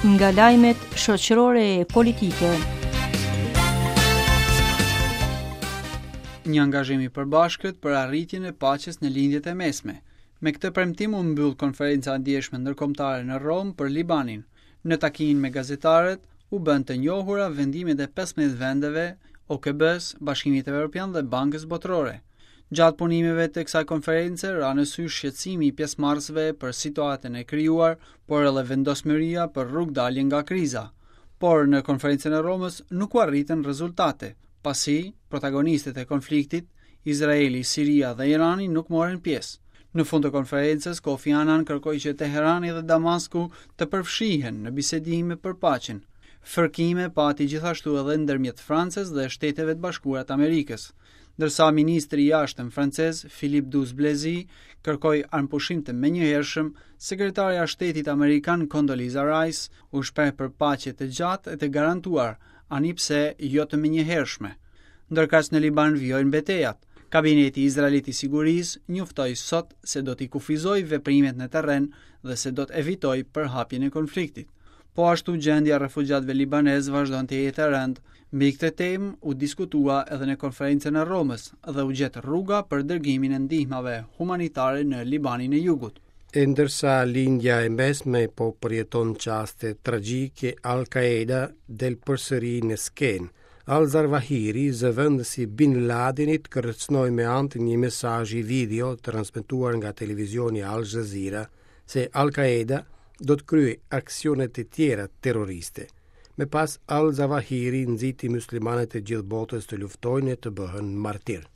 Nga lajmet shoqërore e politike. Një angazhim i përbashkët për arritjen e paqes në Lindjen e Mesme. Me këtë premtim u mbyll konferenca e djeshme ndërkombëtare në Romë për Libanin. Në takimin me gazetarët, u bënë të njohura vendimet e 15 vendeve, OKB-së, Bashkimit Evropian dhe Bankës Botërore. Gjatë punimeve të kësaj konference ra në sy shqetësimi i pjesëmarrësve për situatën e krijuar, por edhe vendosmëria për rrugëdalje nga kriza. Por në konferencën e Romës nuk u arritën rezultate, pasi protagonistët e konfliktit, Izraeli, Siria dhe Irani nuk morën pjesë. Në fund të konferencës, Kofi Annan kërkoi që Teherani dhe Damasku të përfshihen në bisedime për paqen. Fërkime pati gjithashtu edhe ndërmjet Francës dhe Shteteve të Bashkuara të Amerikës. Ndërsa ministri i jashtëm francez Philippe Douste-Blazy kërkoi armëpushim të menjëhershëm, sekretarja e shtetit amerikan Condoleezza Rice u shpreh për paqe të gjatë e të garantuar, ani pse jo të menjëhershme. Ndërkaq në Liban vijojnë betejat. Kabineti izraelit i sigurisë njoftoi sot se do t'i kufizojë veprimet në terren dhe se do të evitojë përhapjen e konfliktit. Po ashtu gjendja e refugjatëve libanezë vazhdon të jetë e rëndë. Mbi këtë temë u diskutua edhe në konferencën e Romës dhe u gjet rruga për dërgimin e ndihmave humanitare në Libanin e Jugut. E ndërsa Lindja e Mesme po përjeton çaste tragjike, Al-Qaeda del përsëri në skenë. Al-Zawahiri, zëvendësi i Bin Ladenit, kërcënoi me anë të një mesazhi video transmetuar nga televizioni Al Jazeera se Al-Qaeda do të kryejë aksione të tjera terroriste. Më pas Al-Zawahiri nxiti muslimanët e gjithë botës të luftojnë e të bëhen martirë.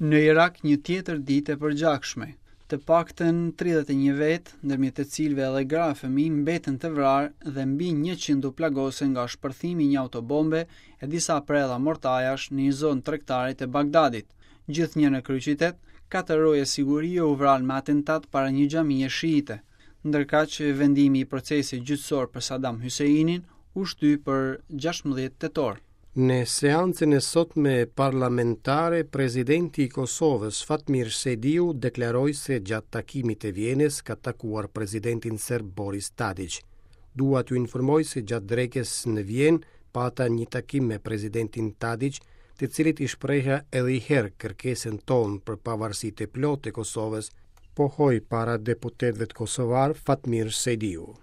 Në Irak një tjetër ditë e përgjakshme. Të paktën 31 vetë, ndërmjet të cilëve edhe gra e fëmijë, mbetën të vrarë dhe mbi 100 u plagosën nga shpërthimi i një autobombe e disa predha mortajash në një zonë tregtare të Bagdadit. Gjithnjë në kryeqytet, katër roje sigurie u vranë me atentat para një xhamie shiite. Ndërkaq, vendimi i procesit gjyqësor për Saddam Husseinin u shty për 16 tetor. Në seancën e sotme parlamentare, presidenti i Kosovës, Fatmir Sejdiu, deklaroi se gjatë takimit të Vjenës ka takuar presidentin serb Boris Tadiq. Dua t'ju informoj se gjatë drekës në Vjenë pata një takim me presidentin Tadiq, të cilit i shpreha edhe një herë kërkesën tonë për pavarësi të plotë të Kosovës, pohoi para deputetëve kosovarë Fatmir Sejdiu.